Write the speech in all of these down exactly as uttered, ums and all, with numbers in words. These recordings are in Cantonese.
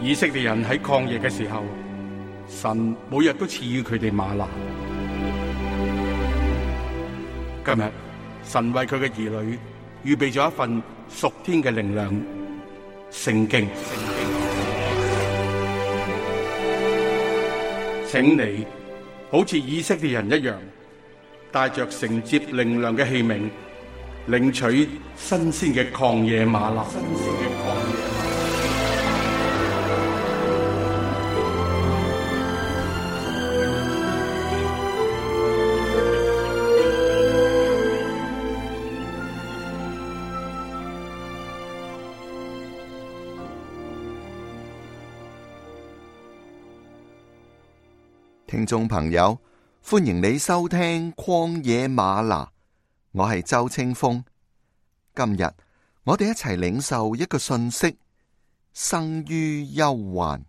以色列人喺曠野嘅時候，神每日都賜予佢哋嗎哪。今日神為佢嘅兒女預備咗一份屬天嘅靈糧——聖經。請你好似以色列人一樣，帶着承接靈糧嘅器皿，領取新鮮嘅曠野嗎哪。聽眾朋友，歡迎你收聽曠野嗎哪，我係周清風。今日我哋一齊領受一個訊息：生於憂患。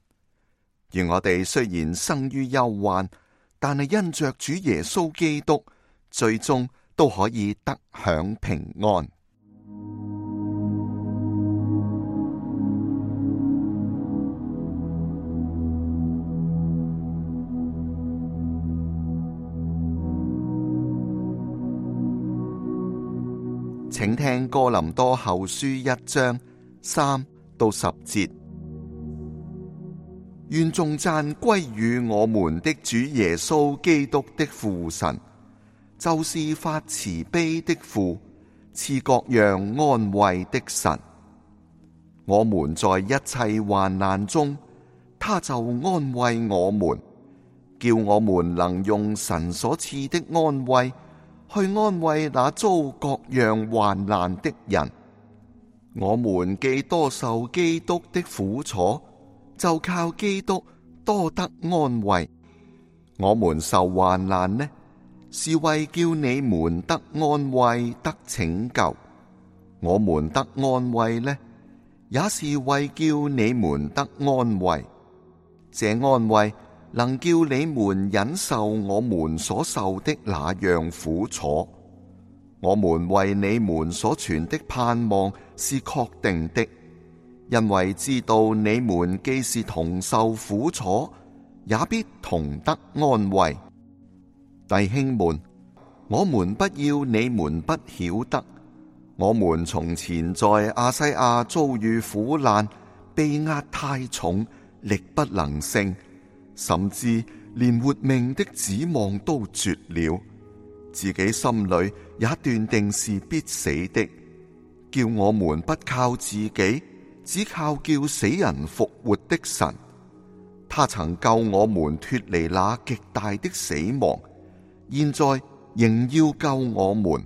而我哋雖然生於憂患，但係因着主耶穌基督，最終都可以得享平安。請聽哥林多後書一章三到十節。願頌讚歸於我們的主耶穌基督的父神，就是發慈悲的父，賜各樣安慰的神。我們在一切患難中，他就安慰我們，叫我們能用神所賜的安慰去安慰那遭各樣患難的人。我們既多受基督的苦楚，就靠基督多得安慰。我們受患難呢，是為叫你們得安慰得拯救；我們得安慰呢，也是為叫你們得安慰。這安慰能叫你們忍受我們所受的那樣苦楚。我們為你們所存的盼望是確定的，因為知道你們既是同受苦楚，也必同得安慰。弟兄們，我們不要你們不曉得，我們從前在亞西亞遭遇苦難，被壓太重，力不能勝，甚至連活命的指望都絕了，自己心裏也斷定是必死的，叫我們不靠自己，只靠叫死人復活的神。他曾救我們脫離那極大的死亡，現在仍要救我們，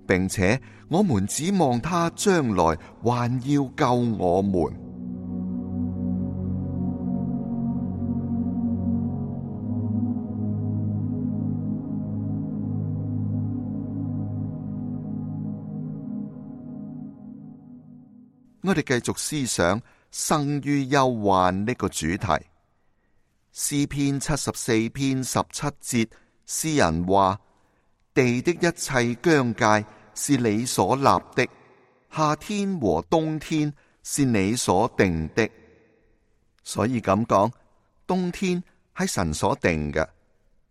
並且我們指望他將來還要救我們。我哋繼續思想生於憂患呢個主題。詩篇七十四篇十七節，詩人話：地的一切疆界是你所立的，夏天和冬天是你所定的。所以咁講，冬天係神所定嘅。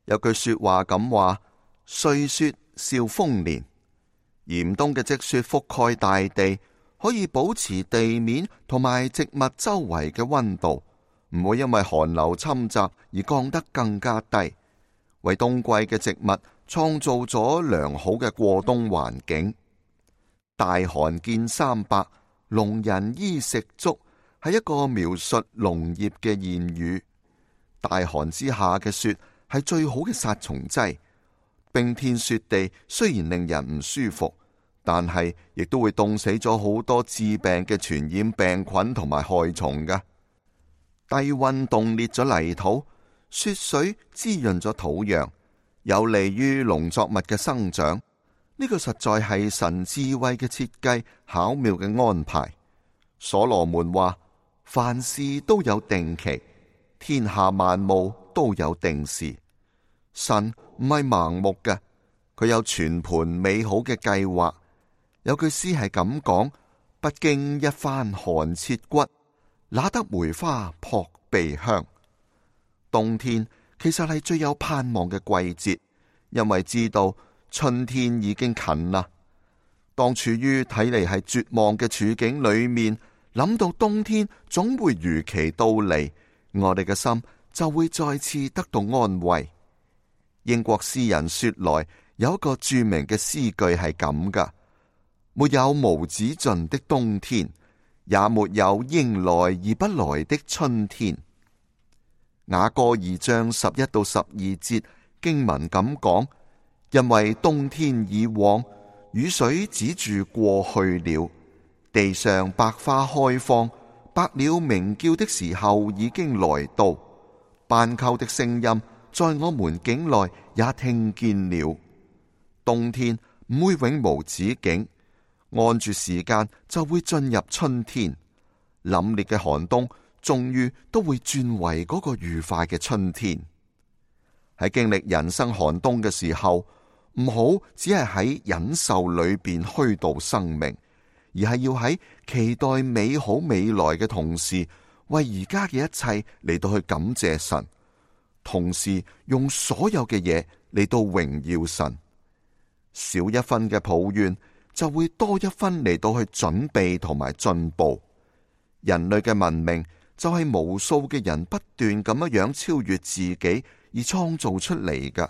有句說話咁話：歲雪兆豐年。嚴冬嘅積雪覆蓋大地，可以保持地面同埋植物周圍嘅溫度，唔會因為寒流侵襲而降得更加低，為冬季嘅植物創造咗良好嘅過冬環境。大寒見三百，農人衣食足，係一個描述農業嘅諺語。大寒之下嘅雪係最好嘅殺蟲劑。冰天雪地雖然令人唔舒服，但係亦都會凍死咗好多致病嘅傳染病菌同埋害蟲㗎。低溫凍裂咗泥土，雪水滋潤咗土壤，有利於農作物嘅生長。呢個實在係神智慧嘅設計，巧妙嘅安排。所羅門話：凡事都有定期，天下萬物都有定時。神唔係盲目嘅，佢有全盤美好嘅計劃。有句詩係咁講：不經一番寒徹骨，那得梅花撲鼻香。冬天其實係最有盼望嘅季節，因為知道春天已經近啦。當處於睇嚟係絕望嘅處境裏面，諗到冬天總會如期到嚟，我哋嘅心就會再次得到安慰。英國詩人雪萊有一個著名嘅詩句係咁噶：沒有無止盡的冬天，也沒有迎來而不來的春天。雅歌二章十一到十二節經文咁講：因為冬天已往，雨水止住過去了，地上百花開放，百鳥鳴叫的時候已經來到，斑鳩的聲音在我們境內也聽見了。冬天唔會永無止境，按住時間就會進入春天。凜冽嘅寒冬終於都會轉為嗰個愉快嘅春天。喺經歷人生寒冬嘅時候，唔好只係喺忍受裏邊虛度生命，而係要喺期待美好未來嘅同時，為而家嘅一切嚟到去感謝神，同時用所有嘅嘢嚟到榮耀神。少一分嘅抱怨，就會多一分嚟到去準備同埋進步。人類嘅文明就係無數嘅人不斷咁樣樣超越自己而創造出嚟㗎。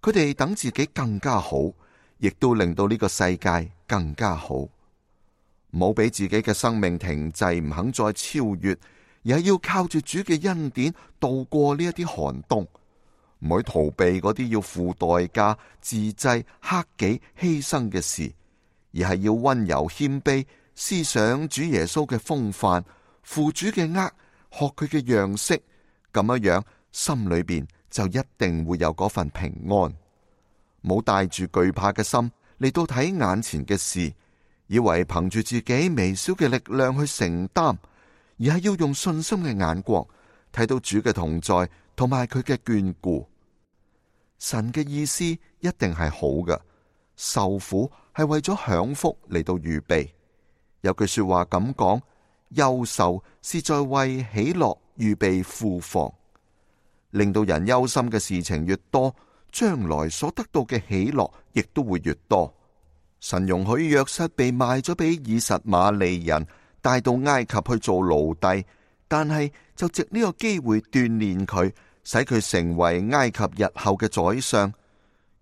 佢哋等自己更加好，亦都令到呢個世界更加好。唔好俾自己嘅生命停滯，唔肯再超越，而係要靠住主嘅恩典度過呢一啲寒冬。唔去逃避嗰啲要付代價、自制、克己、犧牲嘅事，而係要溫柔謙卑，思想主耶穌嘅風範，負主嘅軛，學佢嘅樣式，咁樣樣心裏邊就一定會有嗰份平安。冇帶住懼怕嘅心嚟到睇眼前嘅事，以為憑住自己微小嘅力量去承擔，而係要用信心嘅眼光睇到主嘅同在同埋佢嘅眷顧。神嘅意思一定係好嘅，受苦係為咗享福嚟到預備。有句說話咁講：憂愁是在為喜樂預備庫房。令到人憂心嘅事情越多，將來所得到嘅喜樂亦都會越多。神容許約瑟被賣咗俾以實瑪利人，帶到埃及去做奴隸，但係就藉呢個機會鍛煉佢，使佢成為埃及日後嘅宰相。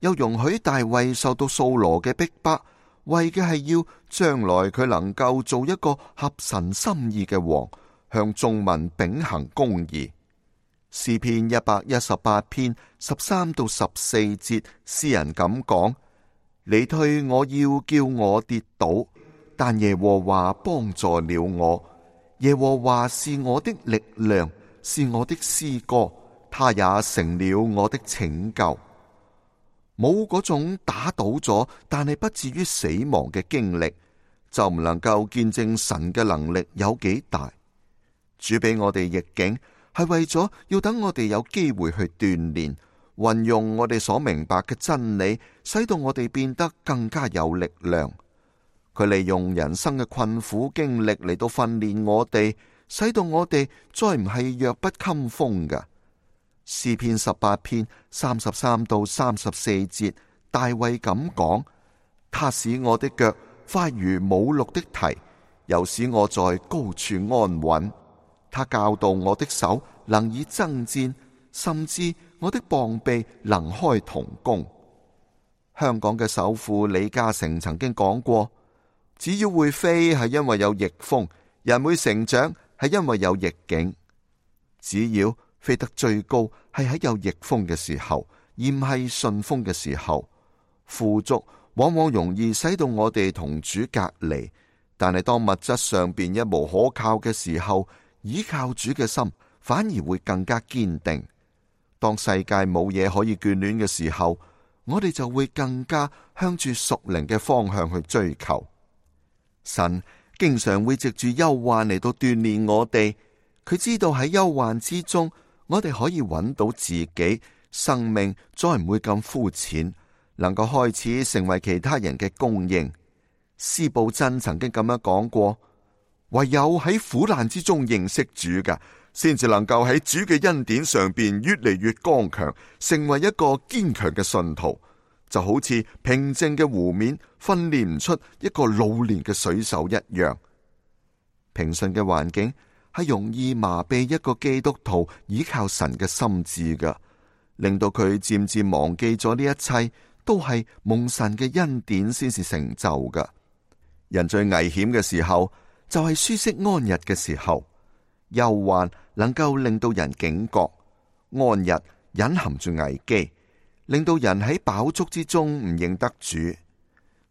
又容許大衛受到掃羅嘅逼迫，為嘅係要將來佢能夠做一個合神心意嘅王，向眾民秉行公義。詩篇一百一十八篇十三到十四節，詩人咁講：你退我要叫我跌倒，但耶和華幫助了我。耶和華是我的力量，是我的詩歌，他也成了我的拯救。冇嗰種打倒咗，但係不至於死亡嘅經歷，就唔能夠見證神嘅能力有幾大。主俾我哋逆境，係為咗要等我哋有機會去鍛煉，運用我哋所明白嘅真理，使到我哋變得更加有力量。佢利用人生嘅困苦經歷嚟到訓練我哋，使到我哋再唔係弱不禁風㗎。詩篇十八篇三十三到三十四節，大衛咁講：他使我的腳快如母鹿的蹄，又使我在高處安穩。他教導我的手能以爭戰，甚至我的膀臂能開銅弓。香港嘅首富李嘉誠曾經講過：只要會飛係因為有逆風，人會成長係因為有逆境。只要飛得最高係喺有逆風嘅時候，而唔係順風嘅時候。富足往往容易使到我哋同主隔離，但係當物質上邊一無可靠嘅時候，依靠主嘅心反而會更加堅定。當世界冇嘢可以眷戀嘅時候，我哋就會更加向住屬靈嘅方向去追求。神經常會藉住憂患嚟到鍛煉我哋，佢知道喺憂患之中，我哋可以揾到自己，生命再唔會咁膚淺，能夠開始成為其他人嘅供應。司布真曾經咁樣講過：唯有喺苦難之中認識主嘅，先至能夠喺主嘅恩典上邊越嚟越剛強，成為一個堅強嘅信徒。就好似平靜嘅湖面訓練唔出一個老練嘅水手一樣。平順嘅環境係容易麻痹一個基督徒倚靠神嘅心智嘅，令到佢漸漸忘記咗呢一切都係蒙神嘅恩典先至成就嘅。人最危險嘅時候就係舒適安逸嘅時候，憂患能夠令到人警覺，安逸隱含住危機，令到人喺飽足之中唔認得主。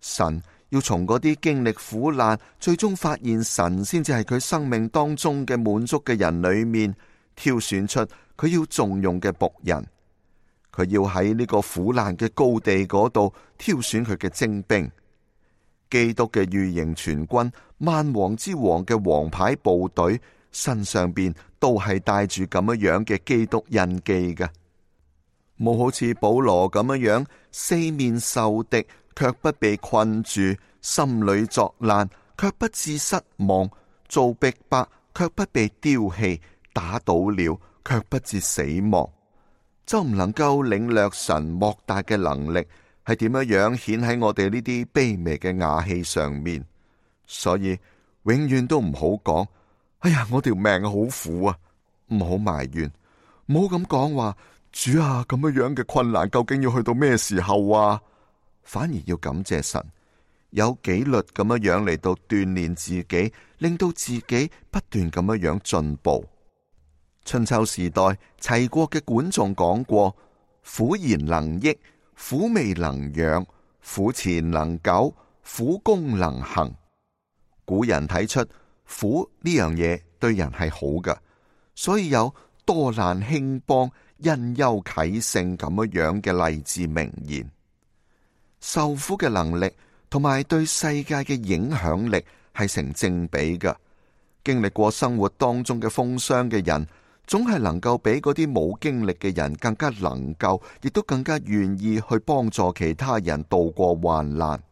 神要從嗰啲經歷苦難，最終發現神先至係佢生命當中嘅滿足嘅人裏面，挑選出佢要重用嘅僕人。佢要喺呢個苦難嘅高地嗰度挑選佢嘅精兵。基督嘅御營全軍，萬王之王嘅王牌部隊，身上邊都係帶住咁樣樣嘅基督印記嘅。冇好似保羅咁樣樣，四面受敵卻不被困住，心裏作難卻不致失望，遭逼迫卻不被丟棄，打倒了卻不致死亡。就唔能夠領略神莫大嘅能力係點樣樣顯喺我哋呢啲卑微嘅瓦器上面。所以永遠都唔好講，哎呀，我條命好苦啊！唔好埋怨，唔好咁講話，主啊，咁樣樣嘅困難究竟要去到咩時候啊？反而要感謝神，有紀律咁樣樣嚟到鍛煉自己，令到自己不斷咁樣樣進步。春秋時代齊國嘅管仲講過：苦言能益，苦味能養，苦錢能久，苦功能行。古人睇出苦呢樣嘢對人係好嘅，所以有多難興邦，因憂啟勝咁樣樣嘅勵志名言。受苦嘅能力同埋對世界嘅影響力係成正比嘅。經歷過生活當中嘅風霜嘅人，總係能夠比嗰啲冇經歷嘅人更加能夠，亦都更加願意去幫助其他人渡過患難。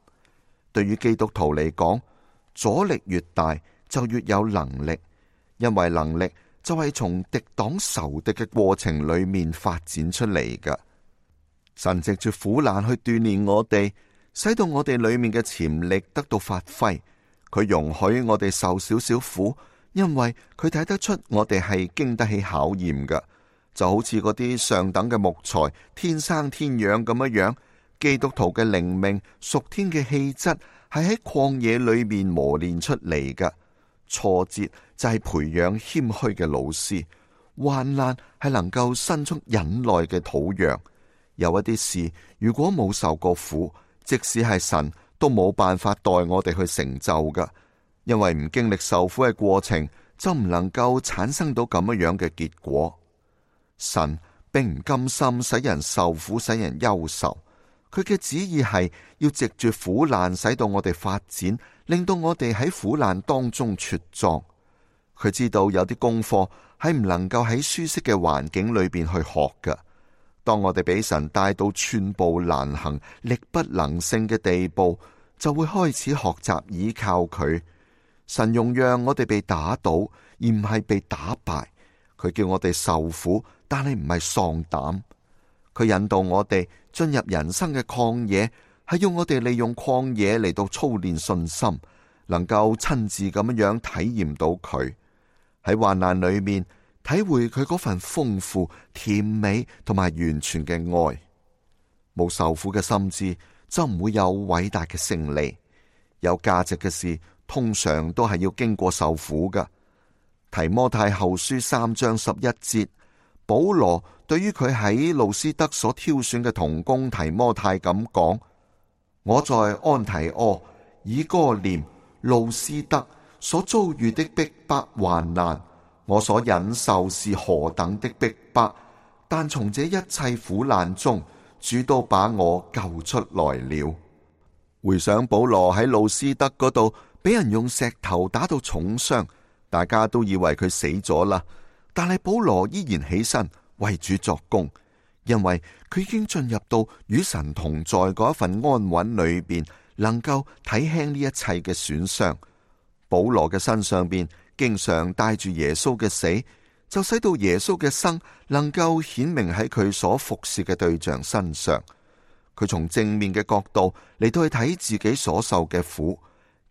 對於基督徒嚟講，阻力越大就越有能力，因為能力就係從敵擋仇敵嘅過程裏面發展出嚟嘅。神藉住苦難去鍛煉我哋，使到我哋裏面嘅潛力得到發揮。佢容許我哋受少少苦，因為佢睇得出我哋係經得起考驗嘅。就好似嗰啲上等嘅木材，天生天養咁樣樣。基督徒嘅靈命、屬天嘅氣質係喺曠野裏面磨練出嚟嘅。挫折就係培養謙虛嘅老師，患難係能夠生出忍耐嘅土壤。有一啲事如果冇受過苦，即使係神都冇辦法代我哋去成就㗎，因為唔經歷受苦嘅過程，就唔能夠產生到咁樣樣嘅結果。神並唔甘心使人受苦，使人憂愁。佢嘅旨意係要藉住苦難使到我哋發展，令到我哋喺苦難當中茁壯。佢知道有啲功課係唔能夠喺舒適嘅環境裏邊去學嘅。當我哋俾神帶到寸步難行、力不能勝嘅地步，就會開始學習倚靠佢。神容讓我哋被打倒，而唔係被打敗。佢叫我哋受苦，但係唔係喪膽。佢引導我哋進入人生嘅曠野，係要我哋利用曠野嚟到操練信心，能夠親自咁樣體驗到佢喺患難裏面體會佢嗰份豐富、甜美同埋完全嘅愛。冇受苦嘅心智，就唔會有偉大嘅勝利。有價值嘅事，通常都係要經過受苦㗎。提摩太後書三章十一節，保羅對於佢喺路斯德所挑選嘅同工提摩太咁講：我在安提阿、以哥念、路斯德所遭遇的逼迫患難，我所忍受是何等的逼迫，但從這一切苦難中，主都把我救出來了。回想保羅喺路斯德嗰度俾人用石頭打到重傷，大家都以為佢死咗啦，但係保羅依然起身為主作工，因為佢已經進入到與神同在嗰一份安穩裏邊，能夠睇輕呢一切嘅損傷。保保羅嘅身上邊經常帶住耶穌嘅死，就使到耶穌嘅生能夠顯明喺佢所服侍嘅對象身上。佢從正面嘅角度嚟到去睇自己所受嘅苦，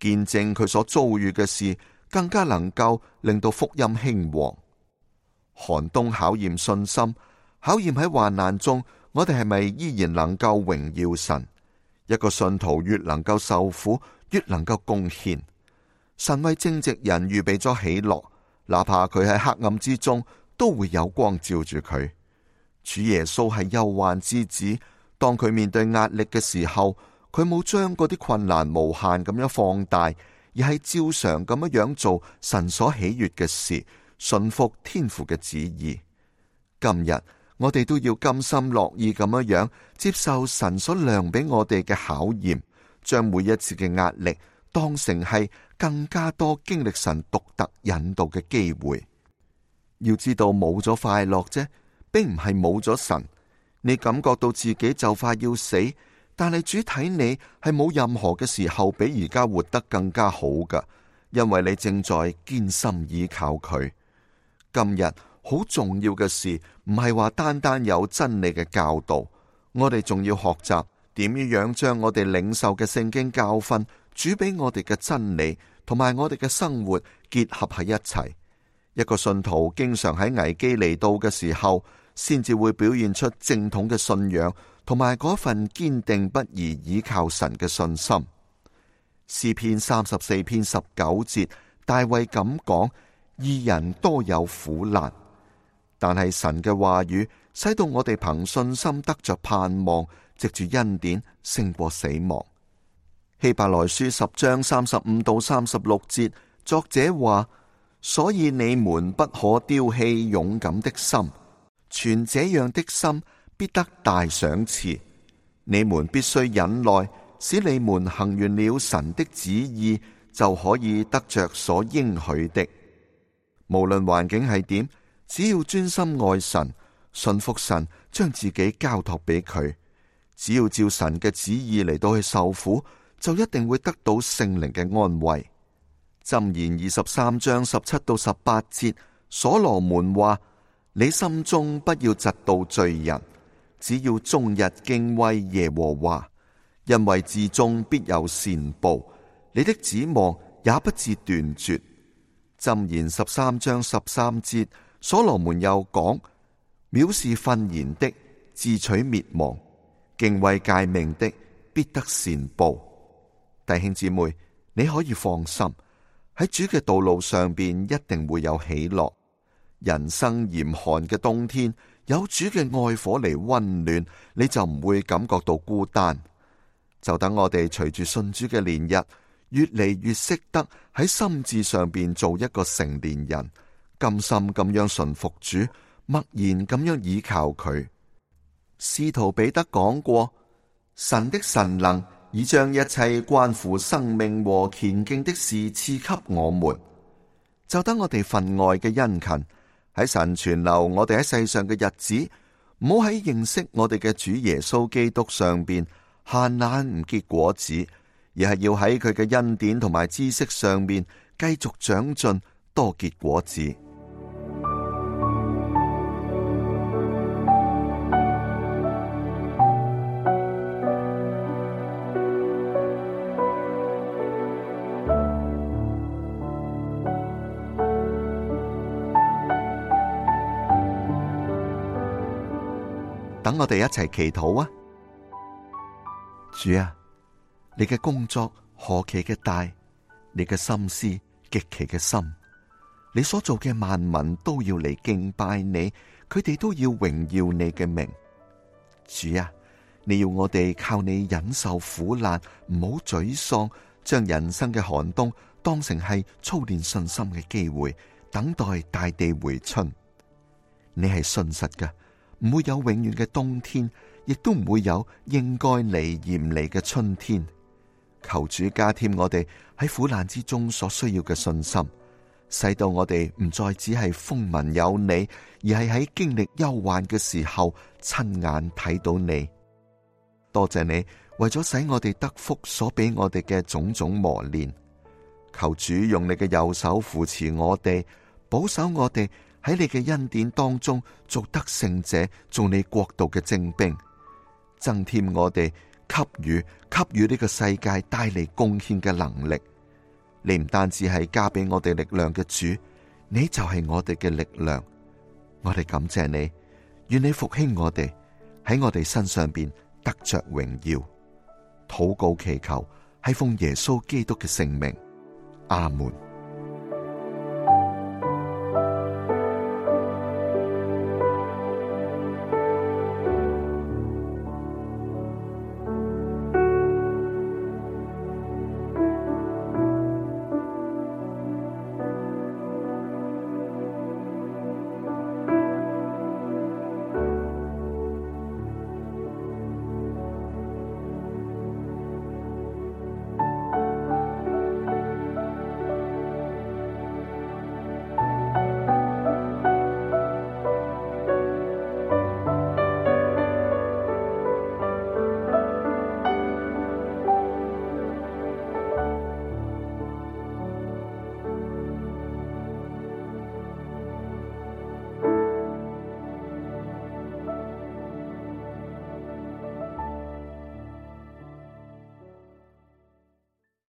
見證佢所遭遇嘅事，更加能夠令到福音興旺。寒冬考驗信心，考驗喺患難中，我哋係咪依然能夠榮耀神？一個信徒越能夠受苦，越能夠貢獻。神為正直人預備咗喜樂，哪怕佢喺黑暗之中，都會有光照住佢。主耶穌係憂患之子，當佢面對壓力嘅時候，佢冇將嗰啲困難無限咁樣放大，而係照常咁樣樣做神所喜悅嘅事，順服天父嘅旨意。今日我哋都要甘心樂意咁樣樣接受神所量俾我哋嘅考驗，將每一次嘅壓力當成係更加多經歷神獨特引導嘅機會。要知道冇咗快樂啫，並唔係冇咗神。你感覺到自己就快要死，但係主睇你係冇任何嘅時候比而家活得更加好噶，因為你正在堅心倚靠佢。今日好重要嘅事唔係話單單有真理嘅教導，我哋仲要學習點樣將我哋領受嘅聖經教訓，主俾我哋嘅真理同埋我哋嘅生活結合喺一齊。一個信徒經常喺危機嚟到嘅時候，先至會表現出正統嘅信仰同埋嗰份堅定不移倚靠神嘅信心。詩篇三十四篇十九節，大衛咁講：義人多有苦難，但係神嘅話語使到我哋憑信心得着盼望，藉住恩典勝過死亡。希伯來書十章三十五到三十六節，作者話：所以你們不可丟棄勇敢的心，存這樣的心，必得大賞賜。你們必須忍耐，使你們行完了神的旨意，就可以得着所應許的。無論環境係點，只要專心愛神，信服神，將自己交託俾佢，只要照神嘅旨意嚟到去受苦，就一定會得到聖靈嘅安慰。箴言二十三章十七到十八節，所羅門話：你心中不要嫉妒罪人，只要終日敬畏耶和華，因為至終必有善報，你的指望也不致斷絕。箴言十三章十三節，所羅門又講：藐視訓言的，自取滅亡；敬畏誡命的，必得善報。弟兄姊妹，你可以放心，喺主嘅道路上邊一定會有喜樂。人生嚴寒嘅冬天，有主嘅愛火嚟溫暖，你就唔會感覺到孤單。就等我哋隨住信主嘅年日，越嚟越識得喺心智上邊做一個成年人，甘心咁樣順服主，默然咁樣倚靠佢。使徒彼得講過：神的神能已將一切關乎生命和虔敬的事賜給我們。就等我哋分外嘅殷勤，喺神存留我哋喺世上嘅日子，唔好喺認識我哋嘅主耶穌基督上邊閒懶唔結果子，而係要喺佢嘅恩典同埋知識上面繼續長進，多結果子。等我哋一齊祈禱啊！主啊，你嘅工作何其嘅大，你嘅心思極其嘅深，你所做嘅萬民都要嚟敬拜你，佢哋都要榮耀你嘅名。主啊，你要我哋靠你忍受苦難，唔好沮喪，將人生嘅寒冬當成係操練信心嘅機會，等待大地回春。你係信實嘅，唔會有永遠嘅冬天，亦都唔會有應該嚟而唔嚟嘅春天。求主加添我哋喺苦難之中所需要嘅信心，使到我哋唔再只係風聞有你，而係喺經歷憂患嘅時候親眼睇到你。多謝你為咗使我哋得福所俾我哋嘅種種磨練，求主用你嘅右手扶持我哋，保守我哋喺你嘅恩典當中做得勝者，做你國度嘅精兵，增添我哋給予給予呢個世界帶嚟貢獻嘅能力。你唔單止係加俾我哋力量嘅主，你就係我哋嘅力量。我哋感謝你，願你復興我哋，喺我哋身上邊得着榮耀。禱告祈求係奉耶穌基督嘅聖名，阿門。